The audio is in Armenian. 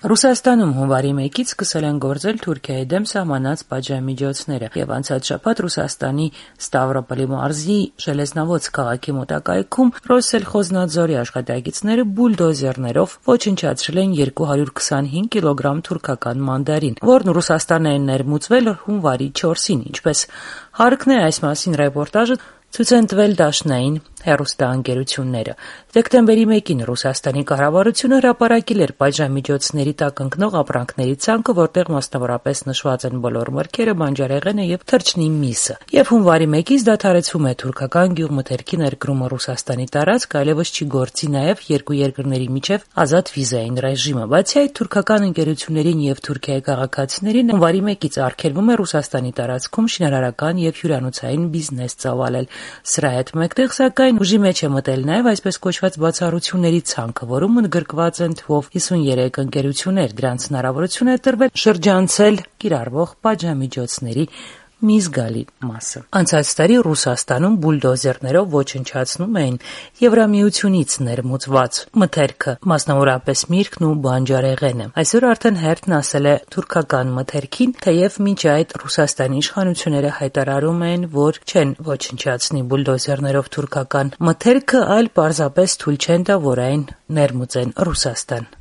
Ռուսաստանում հունվարի 1-ից սկսել են գործել Թուրքիայի դեմ սահմանած պատժամիջոցները, եւ անցած շաբաթ Ռուսաստանի Ստավրոպոլի մարզի Ժելեզնավոց քաղաքի մոտակայքում Ռոսսելխոզնադզորի աշխատակիցները բուլդոզերներով ոչնչացրել են 225 կիլոգրամ թուրքական մանդարին, որն Ռուսաստան է ներմուծվել հունվարի 4-ին, ինչպես հարկն է այս մասին ռեպորտաժը ցույց են տվել դաշնային հեռուստաընկերությունները։ Դեկտեմբերի 1-ին Ռուսաստանի կառավարությունը հրապարակել էր պատժամիջոցների տակ ընկնող ապրանքների ցանկը, որտեղ մասնավորապես նշված են բոլոր մրգերը, բանջարեղենը եւ թռչնի միսը։ Եվ հունվարի 1-ից դադարեցվում է թուրքական գյուղմթերքի ներկրումը Ռուսաստանի տարածք, այլևս չի գործի նաեւ երկու երկրների միջև ազատ վիզային ռեժիմը։ Բացի այդ, թուրքական ընկերություններին եւ Թուրքիայի քաղաքացիներին հունվարի 1-ից արգելվում է Ռուսաստանի տարածքում շինարարական եւ հյուրանոցային բիզնես ծավալել։ Սրա հետ մեկտեղ, սակայն, ուժի մեջ է մտել նաև այսպես կոչված բացառությունների ցանկը, որում ընդգրկված են թվով 53 ընկերություններ, դրանց հնարավորություն է տրվել շրջանցել կիրառվող պատժամիջոցների մի զգալի մասը։ Անցած տարի Ռուսաստանում բուլդոզերներով ոչնչացնում էին Եվրամիությունից ներմուծված մթերքը, մասնավորապես միրգն ու բանջարեղենը։ Այսօր արդեն հերթն ասել է թուրքական մթերքին, թեև մինչ այդ Ռուսաստանի իշխանությունները հայտարարում են, որ չեն ոչնչացնի բուլդոզերներով թուրքական մթերքը, այլ պարզապես թույլ չեն տա, որ այն ներմուծեն Ռուսաստան։